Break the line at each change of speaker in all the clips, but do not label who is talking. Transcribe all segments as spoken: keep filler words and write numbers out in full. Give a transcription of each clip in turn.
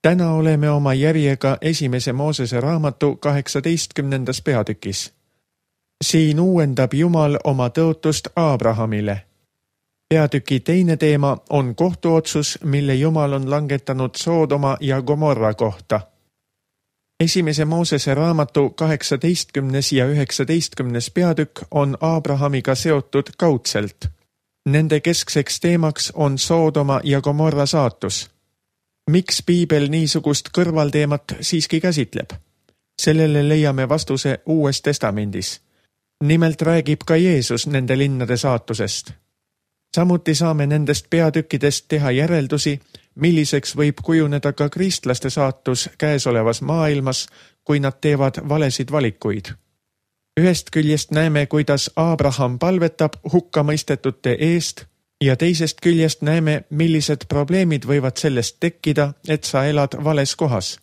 Täna oleme oma järjega esimese Moosese raamatu kaheksateistkümnendas peatükis. Siin uuendab Jumal oma tõotust Aabrahamile. Peatüki teine teema on kohtuotsus, mille Jumal on langetanud Soodoma ja Gomorra kohta. Esimese Moosese raamatu kaheksateistkümnes ja üheksateistkümnes peatükk on Aabrahamiga seotud kaudselt. Nende keskseks teemaks on Soodoma ja Gomorra saatus. Miks Piibel niisugust kõrvalteemat siiski käsitleb? Sellele leiame vastuse Uues Testamendis. Nimelt räägib ka Jeesus nende linnade saatusest. Samuti saame nendest peatükkidest teha järeldusi, milliseks võib kujuneda ka kristlaste saatus käesolevas maailmas, kui nad teevad valesid valikuid. Ühest küljest näeme, kuidas Aabraham palvetab hukkamõistetute eest ja teisest küljest näeme, millised probleemid võivad sellest tekkida, et sa elad vales kohas.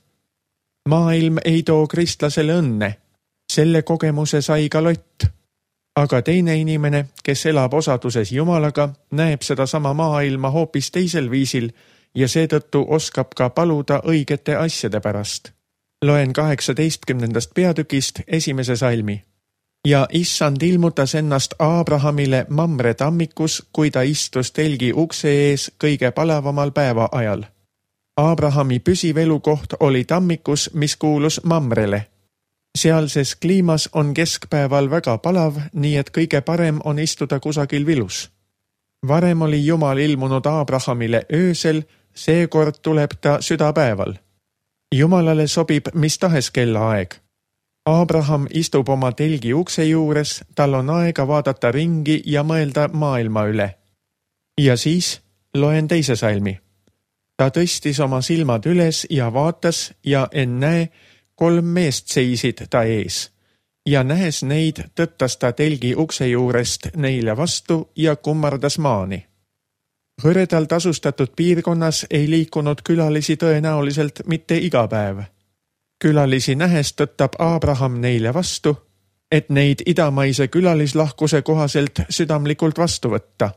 Maailm ei too kristlasele õnne. Selle kogemuse sai ka Lott. Aga teine inimene, kes elab osaduses Jumalaga, näeb seda sama maailma hoopis teisel viisil ja seetõttu oskab ka paluda õigete asjade pärast. Loen kaheksateistkümnendast peatükist esimese salmi. Ja issand ilmutas ennast Aabrahamile Mamre tammikus, kui ta istus telgi ukse ees kõige palavamal päeva ajal. Aabrahami püsiv elukoht oli tammikus, mis kuulus Mamrele. Sealses kliimas on keskpäeval väga palav, nii et kõige parem on istuda kusagil vilus. Varem oli Jumal ilmunud Aabrahamile öösel, seekord tuleb ta südapäeval. Jumalale sobib mis tahes kellaaeg. Aabraham istub oma telgi ukse juures, tal on aega vaadata ringi ja mõelda maailma üle. Ja siis loen teise salmi. Ta tõstis oma silmad üles ja vaatas ja ennäe, kolm meest seisid ta ees. Ja nähes neid, tõttas ta telgi ukse juurest neile vastu ja kummardas maani. Hõredalt asustatud piirkonnas ei liikunud külalisi tõenäoliselt mitte iga päev. Külalisi nähes tõttab Aabraham neile vastu, et neid idamaise külalislahkuse kohaselt südamlikult vastu võtta.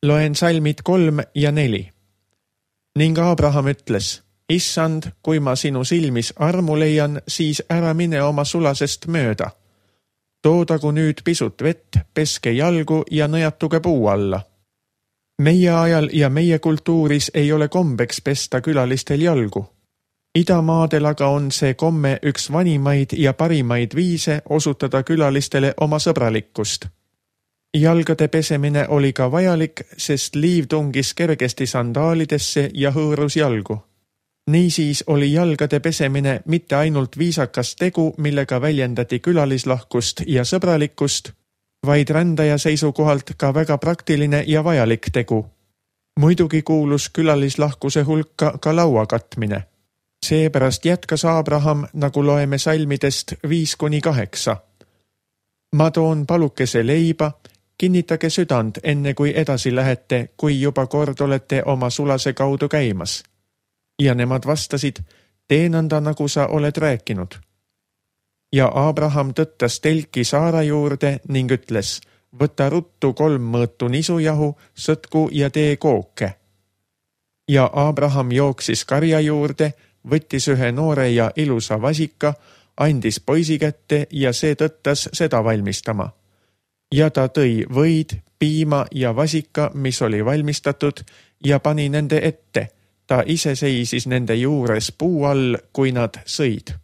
Loen salmid kolm ja neli. Ning Aabraham ütles, issand, kui ma sinu silmis armu leian, siis ära mine oma sulasest mööda. Toodagu nüüd pisut vett, peske jalgu ja nõjatuge puu alla. Meie ajal ja meie kultuuris ei ole kombeks pesta külalistel jalgu. Idamaadel aga on see komme üks vanimaid ja parimaid viise osutada külalistele oma sõbralikkust. Jalgade pesemine oli ka vajalik, sest liiv tungis kergesti sandaalidesse ja hõõrus jalgu. Niisiis oli jalgade pesemine mitte ainult viisakas tegu, millega väljendati külalislahkust ja sõbralikkust, vaid rändaja seisukohalt ka väga praktiline ja vajalik tegu. Muidugi kuulus külalislahkuse hulka ka laua katmine. Seepärast jätkas Aabraham, nagu loeme salmidest viis kuni kaheksa. Ma toon palukese leiba, kinnitage südant enne kui edasi lähete, kui juba kord olete oma sulase kaudu käimas. Ja nemad vastasid, tee nõnda, nagu sa oled rääkinud. Ja Aabraham tõttas telki Saara juurde ning ütles, võta ruttu kolm mõõtu nisujahu, sõtku ja tee kooke. Ja Aabraham jooksis karja juurde, võttis ühe noore ja ilusa vasika, andis poisi kätte ja see tõttas seda valmistama. Ja ta tõi võid, piima ja vasika, mis oli valmistatud, ja pani nende ette. Ta ise seisis nende juures puu all, kui nad sõid.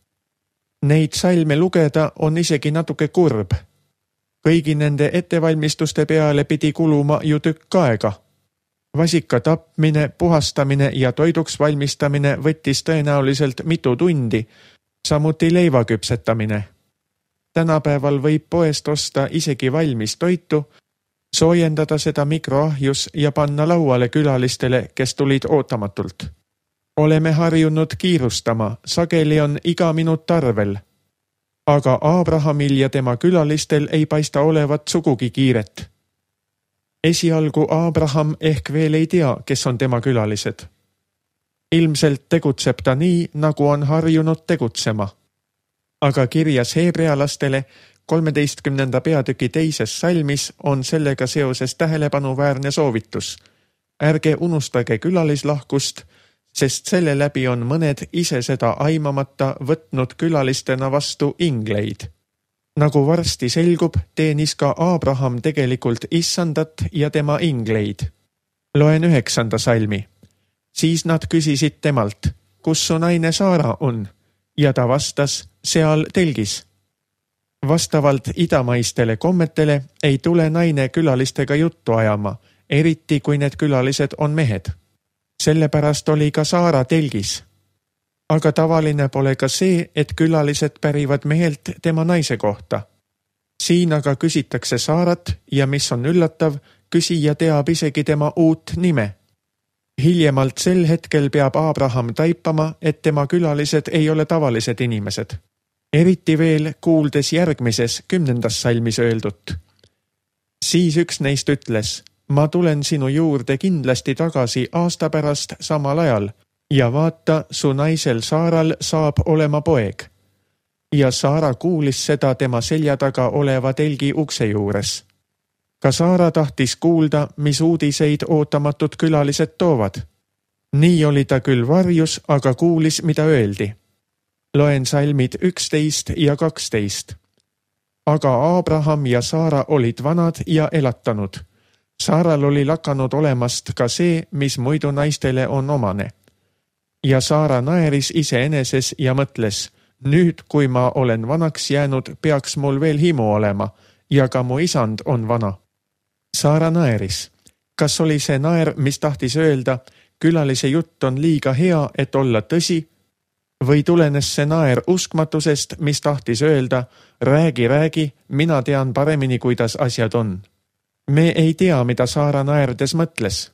Neid salme lugeda on isegi natuke kurb. Kõigi nende ettevalmistuste peale pidi kuluma ju tükk aega. Vasika tapmine, puhastamine ja toiduks valmistamine võttis tõenäoliselt mitu tundi, samuti leiva küpsetamine. Tänapäeval võib poest osta isegi valmis toitu, soojendada seda mikroahjus ja panna lauale külalistele, kes tulid ootamatult. Oleme harjunud kiirustama, sageli on iga minut arvel. Aga Aabrahamil ja tema külalistel ei paista olevat sugugi kiiret. Esialgu Aabraham ehk veel ei tea, kes on tema külalised. Ilmselt tegutseb ta nii, nagu on harjunud tegutsema. Aga kirjas heebrealastele kolmeteistkümnenda peatüki teises salmis on sellega seoses tähelepanuväärne soovitus. Ärge unustage külalislahkust, sest selle läbi on mõned ise seda aimamata võtnud külalistena vastu ingleid. Nagu varsti selgub, teenis ka Aabraham tegelikult issandat ja tema ingleid. Loen üheksanda salmi. Siis nad küsisid temalt, kus su naine Saara on, ja ta vastas, seal telgis. Vastavalt idamaistele kommetele ei tule naine külalistega juttu ajama, eriti kui need külalised on mehed. Sellepärast oli ka Saara telgis. Aga tavaline pole ka see, et külalised pärivad mehelt tema naise kohta. Siin aga küsitakse Saarat ja mis on üllatav, küsija teab isegi tema uut nime. Hiljemalt sel hetkel peab Aabraham taipama, et tema külalised ei ole tavalised inimesed. Eriti veel kuuldes järgmises kümnendas salmis öeldut. Siis üks neist ütles, ma tulen sinu juurde kindlasti tagasi aasta pärast samal ajal ja vaata, su naisel Saaral saab olema poeg. Ja Saara kuulis seda tema selja taga oleva telgi ukse juures. Ka Saara tahtis kuulda, mis uudiseid ootamatud külalised toovad. Nii oli ta küll varjus, aga kuulis, mida öeldi. Loen salmid üksteist ja kaksteist. Aga Aabraham ja Saara olid vanad ja elatanud. Saaral oli lakanud olemast ka see, mis muidu naistele on omane. Ja Saara naeris iseeneses ja mõtles, nüüd kui ma olen vanaks jäänud, peaks mul veel himu olema ja ka mu isand on vana. Saara naeris. Kas oli see naer, mis tahtis öelda, külalise jutt on liiga hea, et olla tõsi? Või tulenes see naer uskmatusest, mis tahtis öelda, räägi, räägi, mina tean paremini, kuidas asjad on. Me ei tea, mida Saara naerdes mõtles.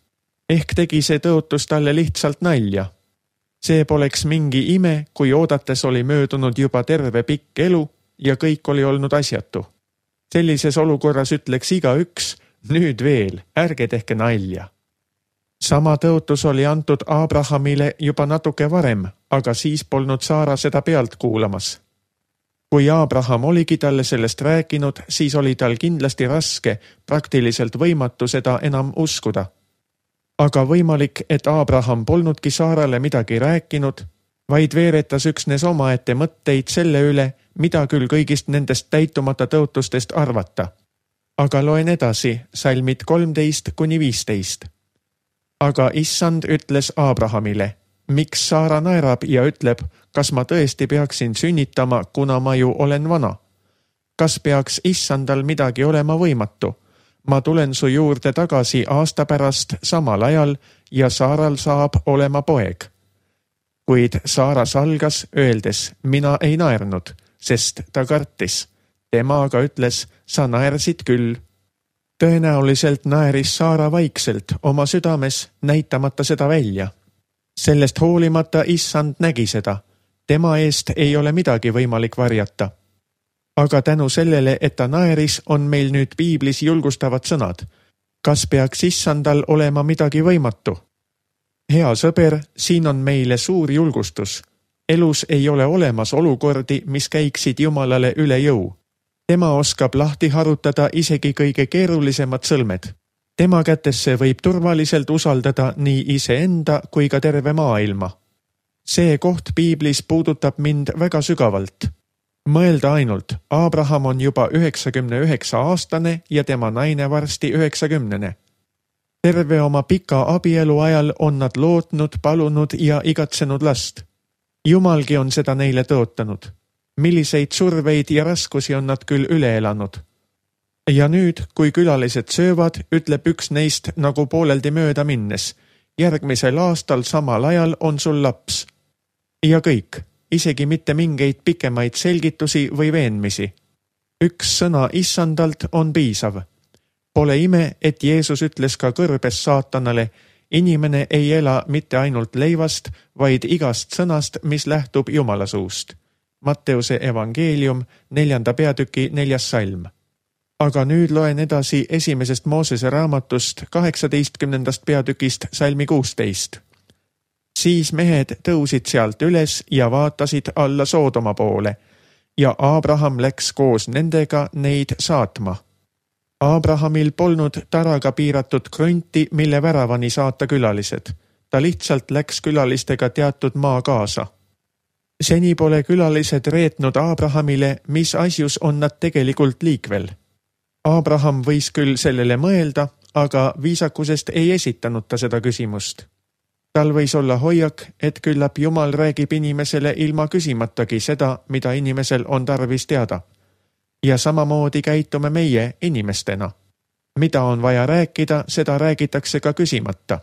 Ehk tegi see tõotus talle lihtsalt nalja. See poleks mingi ime, kui oodates oli möödunud juba terve pikk elu ja kõik oli olnud asjatu. Sellises olukorras ütleks iga üks, nüüd veel, ärge tehke nalja. Sama tõotus oli antud Aabrahamile juba natuke varem, aga siis polnud Saara seda pealt kuulamas. Kui Aabraham oligi talle sellest rääkinud, siis oli tal kindlasti raske, praktiliselt võimatu seda enam uskuda. Aga võimalik, et Aabraham polnudki Saarale midagi rääkinud, vaid veeretas üksnes omaette mõtteid selle üle, mida küll kõigist nendest täitumata tõotustest arvata. Aga loen edasi, salmid kolmteist kuni viisteist. Aga issand ütles Aabrahamile, miks Saara naerab ja ütleb, kas ma tõesti peaksin sünnitama, kuna ma ju olen vana? Kas peaks issandal midagi olema võimatu? Ma tulen su juurde tagasi aasta pärast samal ajal ja Saaral saab olema poeg. Kuid Saara salgas, öeldes, mina ei naernud, sest ta kartis. Tema aga ütles, sa naersid küll. Tõenäoliselt naeris Saara vaikselt oma südames, näitamata seda välja. Sellest hoolimata issand nägi seda. Tema eest ei ole midagi võimalik varjata. Aga tänu sellele, et ta naeris, on meil nüüd piiblis julgustavad sõnad. Kas peaks issandal olema midagi võimatu? Hea sõber, siin on meile suur julgustus. Elus ei ole olemas olukordi, mis käiksid Jumalale üle jõu. Tema oskab lahti harutada isegi kõige keerulisemad sõlmed. Tema kätesse võib turvaliselt usaldada nii iseenda kui ka terve maailma. See koht piiblis puudutab mind väga sügavalt. Mõelda ainult, Aabraham on juba üheksakümne üheksa aastane ja tema naine varsti üheksakümnene. Terve oma pika abielu ajal on nad lootnud, palunud ja igatsenud last. Jumalgi on seda neile tõotanud. Milliseid surveid ja raskusi on nad küll üle elanud. Ja nüüd, kui külalised söövad, ütleb üks neist nagu pooleldi mööda minnes. Järgmisel aastal samal ajal on sul laps. Ja kõik, isegi mitte mingeid pikemaid selgitusi või veenmisi. Üks sõna issandalt on piisav. Pole ime, et Jeesus ütles ka kõrbes saatanale, inimene ei ela mitte ainult leivast, vaid igast sõnast, mis lähtub Jumala suust. Matteuse evangeelium, neljanda peatüki neljas salm. Aga nüüd loen edasi esimesest Moosese raamatust kaheksateistkümnendast peatükist salmi kuusteist. Siis mehed tõusid sealt üles ja vaatasid alla Soodoma poole ja Aabraham läks koos nendega neid saatma. Aabrahamil polnud taraga piiratud krunti, mille väravani saata külalised. ta lihtsalt läks külalistega teatud maa kaasa. Seni pole külalised reetnud Aabrahamile, mis asjus on nad tegelikult liikvel. Aabraham võis küll sellele mõelda, aga viisakusest ei esitanud ta seda küsimust. Tal võis olla hoiak, et küllap Jumal räägib inimesele ilma küsimatagi seda, mida inimesel on tarvis teada. Ja samamoodi käitume meie inimestena. Mida on vaja rääkida, seda räägitakse ka küsimata.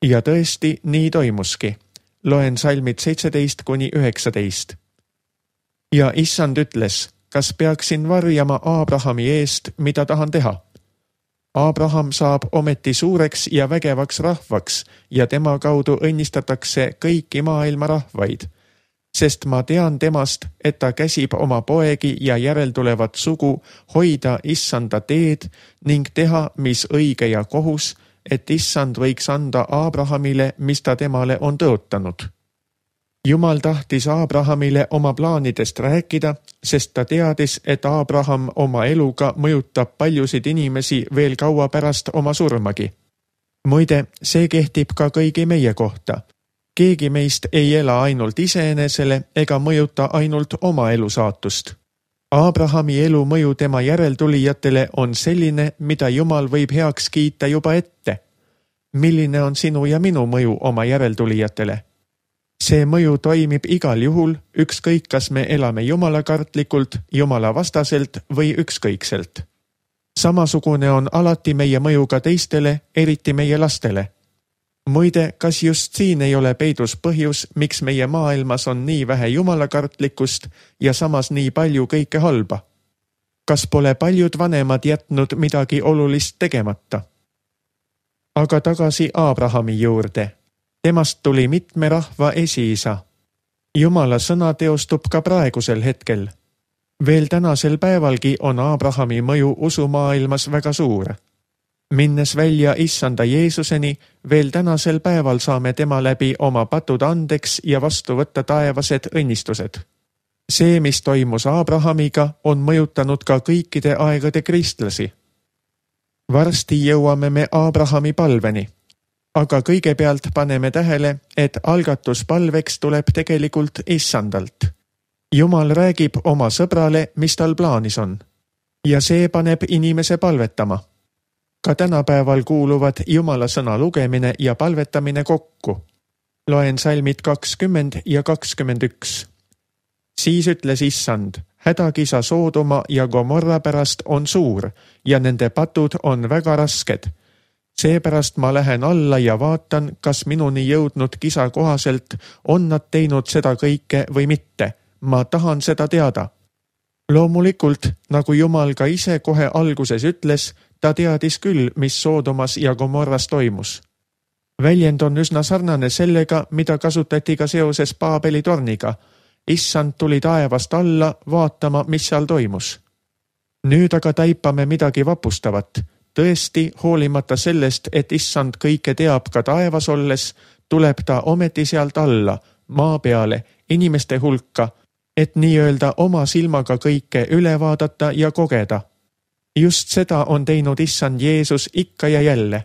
Ja tõesti, nii toimuski. Loen salmid seitseteist kuni üheksateist. Ja issand ütles, kas peaksin varjama Aabrahami eest, mida tahan teha? Aabraham saab ometi suureks ja vägevaks rahvaks ja tema kaudu õnnistatakse kõiki maailma rahvaid, sest ma tean temast, et ta käsib oma poegi ja järeltulevat sugu hoida issanda teed ning teha, mis õige ja kohus, et issand võiks anda Aabrahamile, mis ta temale on tõotanud. Jumal tahtis Aabrahamile oma plaanidest rääkida, sest ta teadis, et Aabraham oma eluga mõjutab paljusid inimesi veel kaua pärast oma surmagi. Muide, see kehtib ka kõigi meie kohta. Keegi meist ei ela ainult iseenesele ega mõjuta ainult oma elu saatust. Aabrahami elu mõju tema järeltulijatele on selline, mida Jumal võib heaks kiita juba ette. Milline on sinu ja minu mõju oma järeltulijatele? See mõju toimib igal juhul, ükskõik kas me elame jumalakartlikult, jumala vastaselt või ükskõikselt. Samasugune on alati meie mõju ka teistele, eriti meie lastele. Muide, kas just siin ei ole peidus põhjus, miks meie maailmas on nii vähe jumalakartlikkust ja samas nii palju kõike halba? Kas pole paljud vanemad jätnud midagi olulist tegemata? Aga tagasi Aabrahami juurde. Temast tuli mitme rahva esiisa. Jumala sõna teostub ka praegusel hetkel. Veel tänasel päevalgi on Aabrahami mõju usumaailmas väga suur. Minnes välja issanda Jeesuseni, veel tänasel päeval saame tema läbi oma patud andeks ja vastu võtta taevased õnnistused. See, mis toimus Aabrahamiga, on mõjutanud ka kõikide aegade kristlasi. Varsti jõuame me Aabrahami palveni. Aga kõigepealt paneme tähele, et algatuspalveks tuleb tegelikult issandalt. Jumal räägib oma sõbrale, mis tal plaanis on. Ja see paneb inimese palvetama. Ka tänapäeval kuuluvad Jumala sõna lugemine ja palvetamine kokku. Loen salmid kakskümmend ja kakskümmend üks. Siis ütles issand, hädakisa Soodoma ja Gomorra pärast on suur ja nende patud on väga rasked. Seepärast ma lähen alla ja vaatan, kas minuni jõudnud kisa kohaselt on nad teinud seda kõike või mitte. Ma tahan seda teada. Loomulikult, nagu Jumal ka ise kohe alguses ütles, ta teadis küll, mis Soodomas ja Gomorras toimus. Väljend on üsna sarnane sellega, mida kasutati ka seoses Paabeli torniga. Issand tuli taevast alla vaatama, mis seal toimus. Nüüd aga taipame midagi vapustavat. Tõesti, hoolimata sellest, et issand kõike teab ka taevas olles, tuleb ta ometi sealt alla, maa peale, inimeste hulka, et nii-öelda oma silmaga kõike üle vaadata ja kogeda. Just seda on teinud issand Jeesus ikka ja jälle.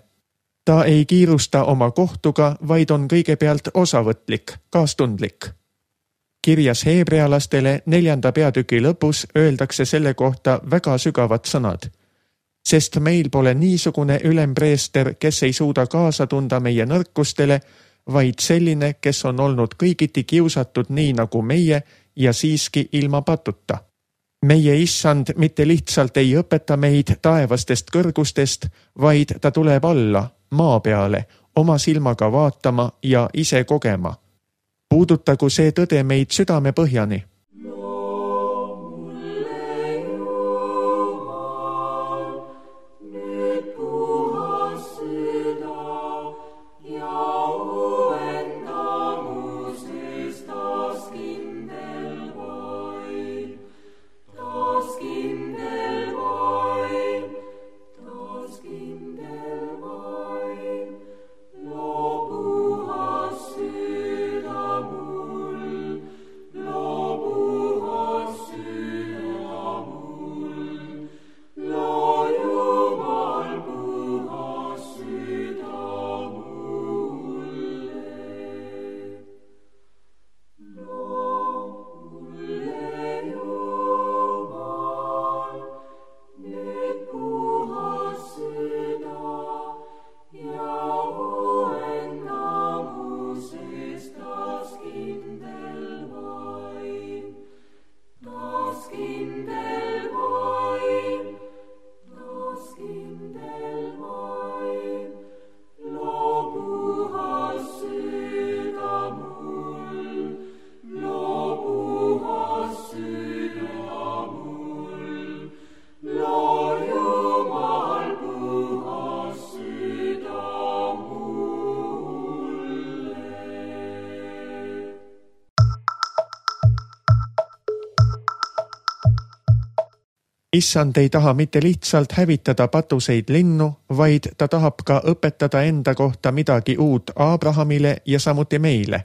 Ta ei kiirusta oma kohtuga, vaid on kõigepealt osavõtlik, kaastundlik. Kirjas heebrealastele neljanda peatüki lõpus öeldakse selle kohta väga sügavad sõnad. Sest meil pole niisugune ülempreester, kes ei suuda kaasa tunda meie nõrkustele, vaid selline, kes on olnud kõigiti kiusatud nii nagu meie ja siiski ilma patuta. Meie issand mitte lihtsalt ei õpeta meid taevastest kõrgustest, vaid ta tuleb alla, maa peale, oma silmaga vaatama ja ise kogema. Puudutagu see tõde meid südame põhjani.
Lobu
Issand ei taha mitte lihtsalt hävitada patuseid linnu, vaid ta tahab ka õpetada enda kohta midagi uut Abrahamile ja samuti meile.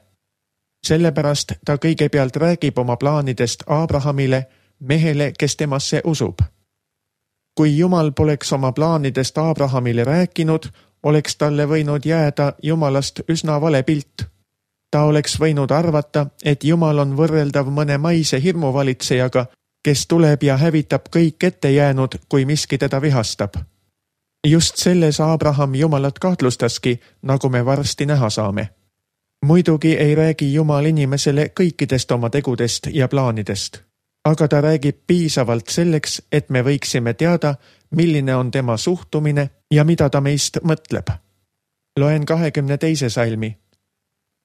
Sellepärast ta kõigepealt räägib oma plaanidest Abrahamile, mehele, kes temasse usub. Kui Jumal poleks oma plaanidest Abrahamile rääkinud, oleks talle võinud jääda Jumalast üsna vale pilt. Ta oleks võinud arvata, et Jumal on võrreldav mõne maise hirmuvalitsejaga, kes tuleb ja hävitab kõik ette jäänud, kui miski teda vihastab. Just selles Abraham Jumalat kahtlustaski, nagu me varsti näha saame. Muidugi ei räägi Jumal inimesele kõikidest oma tegudest ja plaanidest, aga ta räägib piisavalt selleks, et me võiksime teada, milline on tema suhtumine ja mida ta meist mõtleb. Loen kahekümne teise salmi.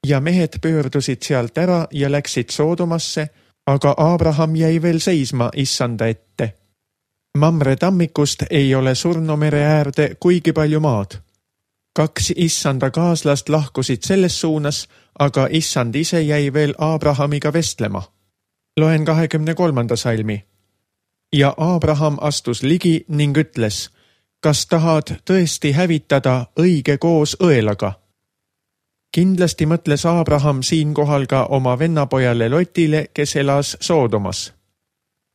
Ja mehed pöördusid sealt ära ja läksid Soodomasse, aga Abraham jäi veel seisma Issanda ette. Mamre tammikust ei ole Surnumere äärde kuigi palju maad. Kaks Issanda kaaslast lahkusid selles suunas, aga Issand ise jäi veel Abrahamiga vestlema. Loen kahekümne kolmanda salmi. Ja Abraham astus ligi ning ütles, kas tahad tõesti hävitada õige koos õelaga? Kindlasti mõtles Abraham siinkohal ka oma vennapojale Lotile, kes elas Soodomas.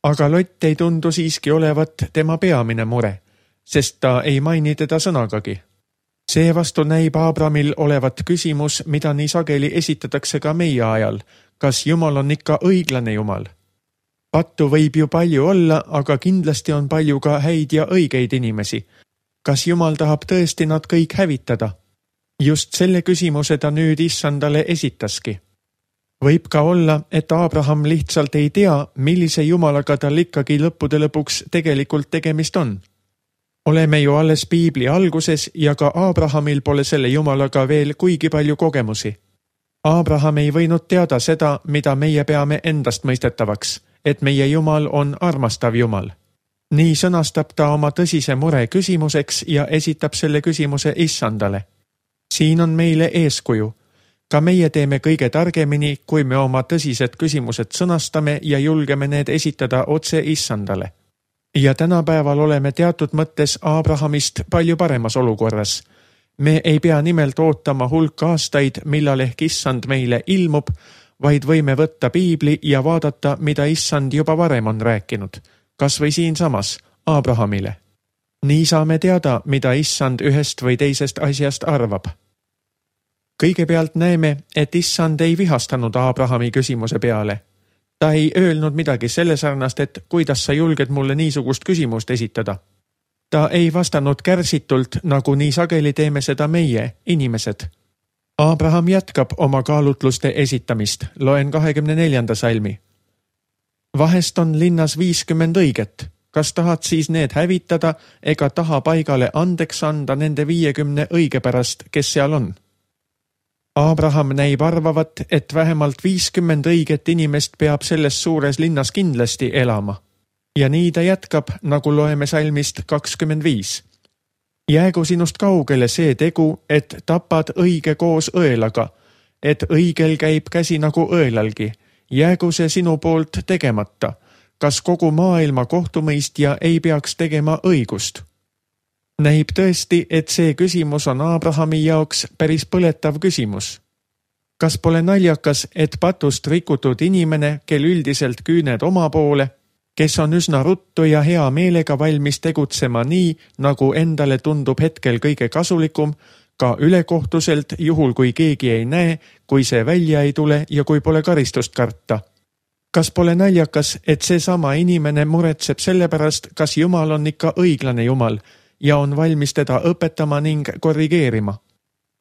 Aga Lott ei tundu siiski olevat tema peamine mure, sest ta ei maini teda sõnagagi. Seevastu näib Abramil olevat küsimus, mida nii sageli esitatakse ka meie ajal, kas Jumal on ikka õiglane Jumal. Pattu võib ju palju olla, aga kindlasti on palju ka häid ja õigeid inimesi. Kas Jumal tahab tõesti nad kõik hävitada? Just selle küsimuse ta nüüd Issandale esitaski. Võib ka olla, et Abraham lihtsalt ei tea, millise Jumalaga tal ikkagi lõppude lõpuks tegelikult tegemist on. Oleme ju alles Piibli alguses ja ka Abrahamil pole selle Jumalaga veel kuigi palju kogemusi. Abraham ei võinud teada seda, mida meie peame endast mõistetavaks, et meie Jumal on armastav Jumal. Nii sõnastab ta oma tõsise mure küsimuseks ja esitab selle küsimuse Issandale. Siin on meile eeskuju. Ka meie teeme kõige targemini, kui me oma tõsised küsimused sõnastame ja julgeme need esitada otse Issandale. Ja tänapäeval oleme teatud mõttes Abrahamist palju paremas olukorras. Me ei pea nimelt ootama hulk aastaid, millal ehk Issand meile ilmub, vaid võime võtta Piibli ja vaadata, mida Issand juba varem on rääkinud, kas või siinsamas Abrahamile. Nii saame teada, mida Issand ühest või teisest asjast arvab. Kõigepealt näeme, et Issand ei vihastanud Abrahami küsimuse peale. Ta ei öelnud midagi selle sarnast, et kuidas sa julged mulle niisugust küsimust esitada. Ta ei vastanud kärsitult, nagu nii sageli teeme seda meie, inimesed. Abraham jätkab oma kaalutluste esitamist, loen kahekümne neljanda salmi. Vahest on linnas viiskümmend õiget. Kas tahad siis need hävitada ega taha paigale andeks anda nende viiekümne õige pärast, kes seal on? Abraham näib arvavat, et vähemalt viiskümmend õiget inimest peab selles suures linnas kindlasti elama. Ja nii ta jätkab, nagu loeme salmist kakskümmend viis. Jäägu sinust kaugele see tegu, et tapad õige koos õelaga, et õigel käib käsi nagu õelalgi. Jäägu see sinu poolt tegemata. Kas kogu maailma kohtumõistja ei peaks tegema õigust? Näib tõesti, et see küsimus on Abrahami jaoks päris põletav küsimus. Kas pole naljakas, et patust rikutud inimene, kel üldiselt küüned oma poole, kes on üsna ruttu ja hea meelega valmis tegutsema nii, nagu endale tundub hetkel kõige kasulikum, ka ülekohtuselt, juhul kui keegi ei näe, kui see välja ei tule ja kui pole karistust karta. Kas pole naljakas, et see sama inimene muretseb selle pärast, kas Jumal on ikka õiglane Jumal ja on valmis teda õpetama ning korrigeerima?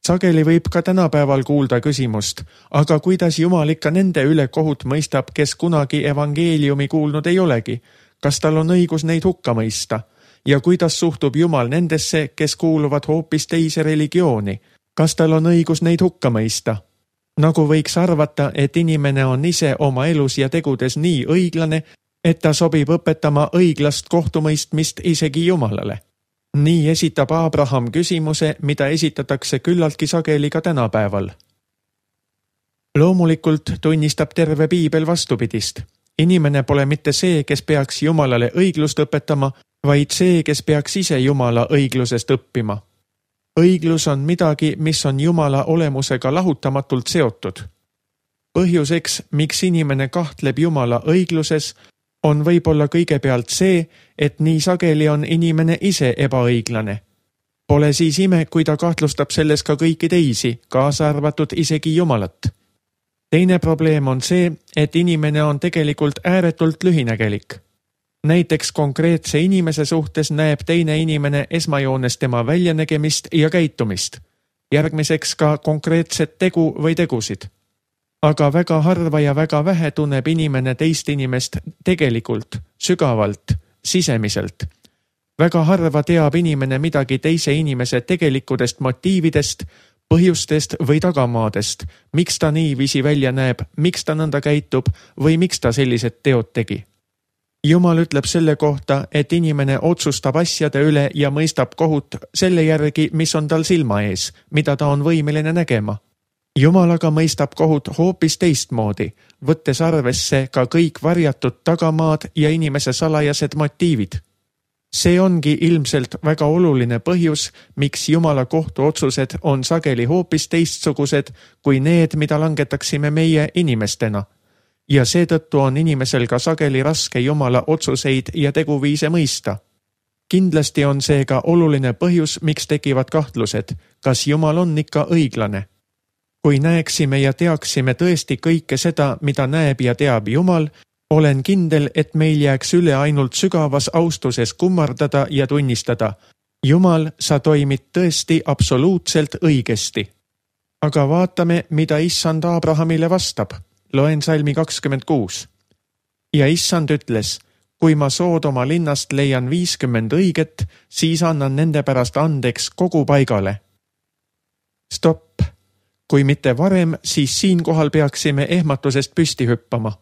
Sageli võib ka tänapäeval kuulda küsimust, aga kuidas Jumal ikka nende üle kohut mõistab, kes kunagi evangeeliumi kuulnud ei olegi? Kas tal on õigus neid hukka mõista? Ja kuidas suhtub Jumal nendesse, kes kuuluvad hoopis teise religiooni? Kas tal on õigus neid hukka mõista? Nagu võiks arvata, et inimene on ise oma elus ja tegudes nii õiglane, et ta sobib õpetama õiglast kohtumõistmist isegi Jumalale. Nii esitab Abraham küsimuse, mida esitatakse küllaltki sageli ka tänapäeval. Loomulikult tunnistab terve Piibel vastupidist. Inimene pole mitte see, kes peaks Jumalale õiglust õpetama, vaid see, kes peaks ise Jumala õiglusest õppima. Õiglus on midagi, mis on Jumala olemusega lahutamatult seotud. Põhjuseks, miks inimene kahtleb Jumala õigluses, on võib-olla kõigepealt see, et nii sageli on inimene ise ebaõiglane. Pole siis ime, kui ta kahtlustab selles ka kõiki teisi, kaasa arvatud isegi Jumalat. Teine probleem on see, et inimene on tegelikult ääretult lühinägelik. Näiteks konkreetse inimese suhtes näeb teine inimene esmajoones tema väljanägemist ja käitumist, järgmiseks ka konkreetset tegu või tegusid. Aga väga harva ja väga vähe tunneb inimene teist inimest tegelikult, sügavalt, sisemiselt. Väga harva teab inimene midagi teise inimese tegelikudest motiividest, põhjustest või tagamaadest, miks ta niiviisi välja näeb, miks ta nõnda käitub või miks ta sellised teod tegi. Jumal ütleb selle kohta, et inimene otsustab asjade üle ja mõistab kohut selle järgi, mis on tal silma ees, mida ta on võimeline nägema. Jumal aga mõistab kohut hoopis teistmoodi, võttes arvesse ka kõik varjatud tagamaad ja inimese salajased motiivid. See ongi ilmselt väga oluline põhjus, miks Jumala kohtuotsused on sageli hoopis teistsugused kui need, mida langetaksime meie inimestena. Ja seetõttu on inimesel ka sageli raske Jumala otsuseid ja teguviise mõista. Kindlasti on see ka oluline põhjus, miks tekivad kahtlused, kas Jumal on ikka õiglane. Kui näeksime ja teaksime tõesti kõike seda, mida näeb ja teab Jumal, olen kindel, et meil jääks üle ainult sügavas austuses kummardada ja tunnistada. Jumal, sa toimid tõesti absoluutselt õigesti. Aga vaatame, mida Issand Abrahamile vastab. Loen salmi kakskümmend kuus. Ja Issand ütles, kui ma Soodoma linnast leian viiskümmend õiget, siis annan nende pärast andeks kogu paigale. Stopp. Kui mitte varem, siis siinkohal peaksime ehmatusest püsti hüppama.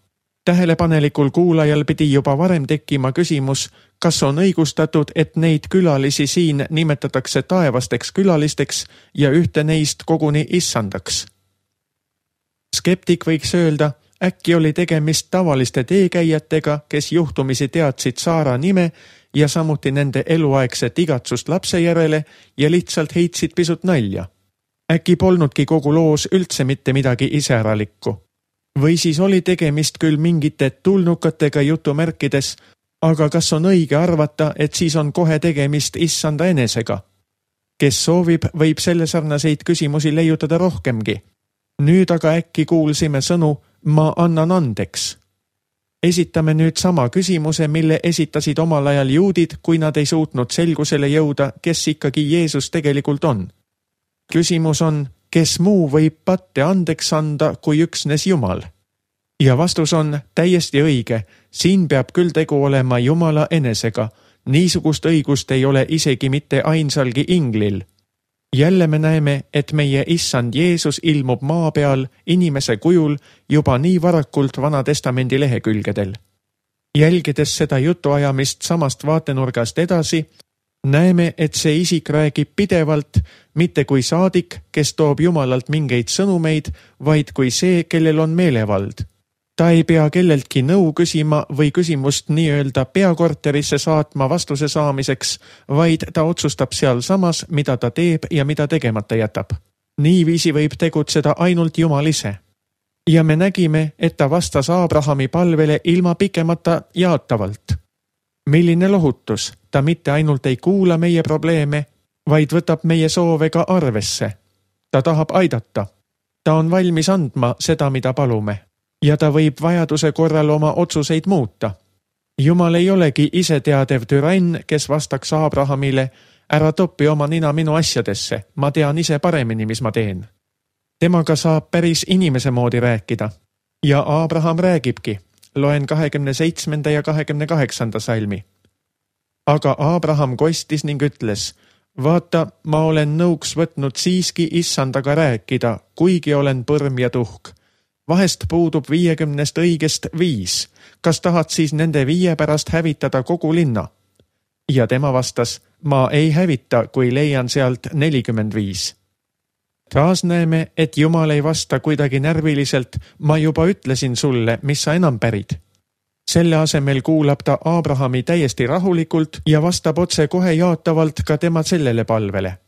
Tähelepanelikul kuulajal pidi juba varem tekkima küsimus, kas on õigustatud, et neid külalisi siin nimetatakse taevasteks külalisteks ja ühte neist koguni issandaks. Skeptik võiks öelda, äkki oli tegemist tavaliste teekäijatega, kes juhtumisi teadsid Saara nime ja samuti nende eluaegset igatsust lapse järele ja lihtsalt heitsid pisut nalja. Äkki polnudki kogu loos üldse mitte midagi iseäralikku. Või siis oli tegemist küll mingite tulnukatega jutumärkides, aga kas on õige arvata, et siis on kohe tegemist issanda enesega? Kes soovib, võib selle sarnaseid küsimusi leiutada rohkemgi. Nüüd aga äkki kuulsime sõnu, ma annan andeks. Esitame nüüd sama küsimuse, mille esitasid omal ajal juudid, kui nad ei suutnud selgusele jõuda, kes ikkagi Jeesus tegelikult on. Küsimus on, kes muu võib patte andeks anda kui üksnes Jumal? Ja vastus on täiesti õige, siin peab küll tegu olema Jumala enesega, niisugust õigust ei ole isegi mitte ainsalgi inglil. Jälle me näeme, et meie issand Jeesus ilmub maa peal inimese kujul juba nii varakult Vana Testamendi lehekülgedel. Jälgides seda jutuajamist samast vaatenurgast edasi, näeme, et see isik räägib pidevalt, mitte kui saadik, kes toob Jumalalt mingeid sõnumeid, vaid kui see, kellel on meelevald. Ta ei pea kelleltki nõu küsima või küsimust nii-öelda peakorterisse saatma vastuse saamiseks, vaid ta otsustab seal samas, mida ta teeb ja mida tegemata jätab. Niiviisi võib tegutseda ainult Jumal ise. Ja me nägime, et ta vastas Abrahami palvele ilma pikemata jaatavalt. Milline lohutus, ta mitte ainult ei kuula meie probleeme, vaid võtab meie soove ka arvesse. Ta tahab aidata. Ta on valmis andma seda, mida palume. Ja ta võib vajaduse korral oma otsuseid muuta. Jumal ei olegi iseteadev türann, kes vastaks Abrahamile, ära topi oma nina minu asjadesse, ma tean ise paremini, mis ma teen. Temaga saab päris inimese moodi rääkida. Ja Abraham räägibki. Loen kahekümne seitsmenda ja kahekümne kaheksanda salmi. Aga Abraham kostis ning ütles, vaata, ma olen nõuks võtnud siiski issandaga rääkida, kuigi olen põrm ja tuhk. Vahest puudub viiekümnest õigest viis. Kas tahad siis nende viie pärast hävitada kogu linna? Ja tema vastas, ma ei hävita, kui leian sealt nelikümmend viis. Taas näeme, et Jumal ei vasta kuidagi närviliselt, ma juba ütlesin sulle, mis sa enam pärid. Selle asemel kuulab ta Abrahami täiesti rahulikult ja vastab otse kohe jaatavalt ka tema sellele palvele.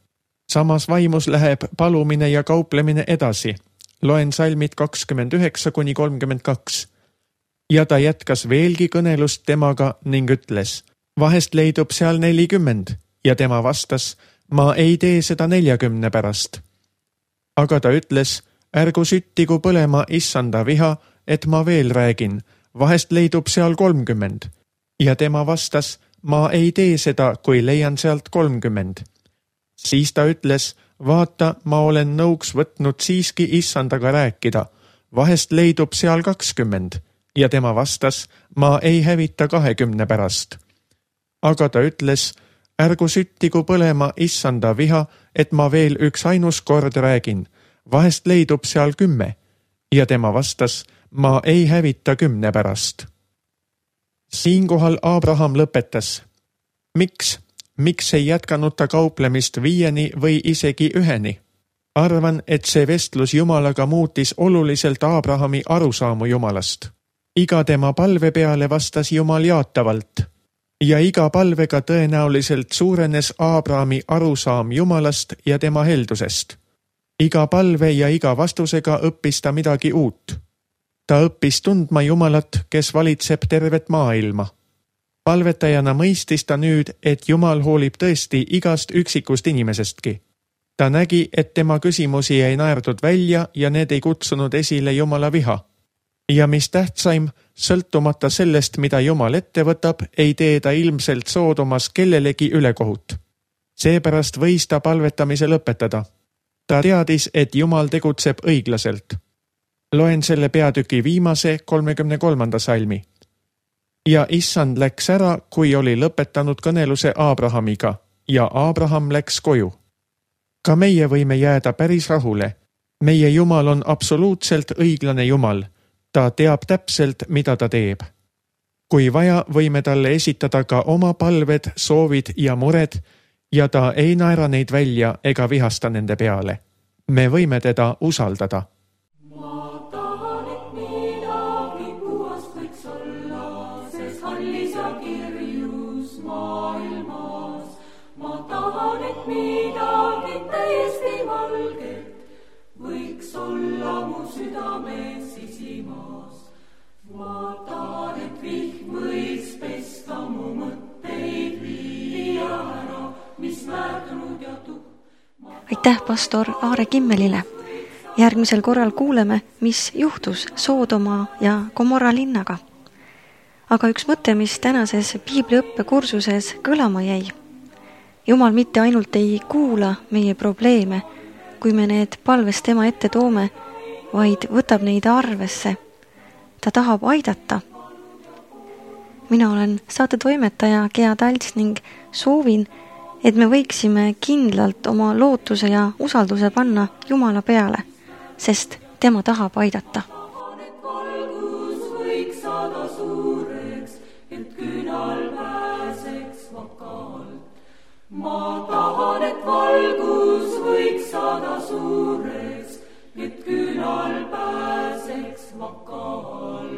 Samas vaimus läheb palumine ja kauplemine edasi. Loen salmid kakskümmend üheksa kuni kolmkümmend kaks. Ja ta jätkas veelgi kõnelust temaga ning ütles, vahest leidub seal nelikümmend, ja tema vastas, ma ei tee seda neljakümne pärast. Aga ta ütles, ärgu süttigu põlema issanda viha, et ma veel räägin, vahest leidub seal kolmkümmend. Ja tema vastas, ma ei tee seda, kui leian sealt kolmkümmend. Siis ta ütles, vaata, ma olen nõuks võtnud siiski issandaga rääkida, vahest leidub seal kakskümmend. Ja tema vastas, ma ei hävita kahekümne pärast. Aga ta ütles, ärgu süttigu põlema issanda viha, et ma veel üks ainus kord räägin, vahest leidub seal kümme. Ja tema vastas, ma ei hävita kümne pärast. Siinkohal Abraham lõpetas. Miks? Miks ei jätkanud ta kauplemist viieni või isegi üheni? Arvan, et see vestlus Jumalaga muutis oluliselt Abrahami arusaamu Jumalast. Iga tema palve peale vastas Jumal jaatavalt. Ja iga palvega tõenäoliselt suurenes Abrahami arusaam Jumalast ja tema heldusest. Iga palve ja iga vastusega õppis ta midagi uut. Ta õppis tundma Jumalat, kes valitseb tervet maailma. Palvetajana mõistis ta nüüd, et Jumal hoolib tõesti igast üksikust inimesestki. Ta nägi, et tema küsimusi ei naerdud välja ja need ei kutsunud esile Jumala viha. Ja mis tähtsaim, sõltumata sellest, mida Jumal ette võtab, ei tee ta ilmselt Soodomas kellelegi ülekohut. Seepärast võis ta palvetamise lõpetada. Ta teadis, et Jumal tegutseb õiglaselt. Loen selle peatüki viimase kolmekümne kolmanda salmi. Ja issand läks ära, kui oli lõpetanud kõneluse Abrahamiga, ja Abraham läks koju. Ka meie võime jääda päris rahule. Meie Jumal on absoluutselt õiglane Jumal. Ta teab täpselt, mida ta teeb. Kui vaja, võime talle esitada ka oma palved, soovid ja mured, ja ta ei naera neid välja ega vihasta nende peale. Me võime teda usaldada.
Aitäh pastor Aare Kimmelile. Järgmisel korral kuuleme, mis juhtus Soodoma ja Gomorra linnaga. Aga üks mõte, mis tänases piibliõppekursuses kõlama jäi. Jumal mitte ainult ei kuula meie probleeme, kui me need palves tema ette toome, vaid võtab neid arvesse. Ta tahab aidata. Mina olen saatetoimetaja Gea Talts ning soovin, et me võiksime kindlalt oma lootuse ja usalduse panna Jumala peale, sest tema tahab aidata.
Ma tahan, et valgus võiks saada suureks, et künal pääseks vakal.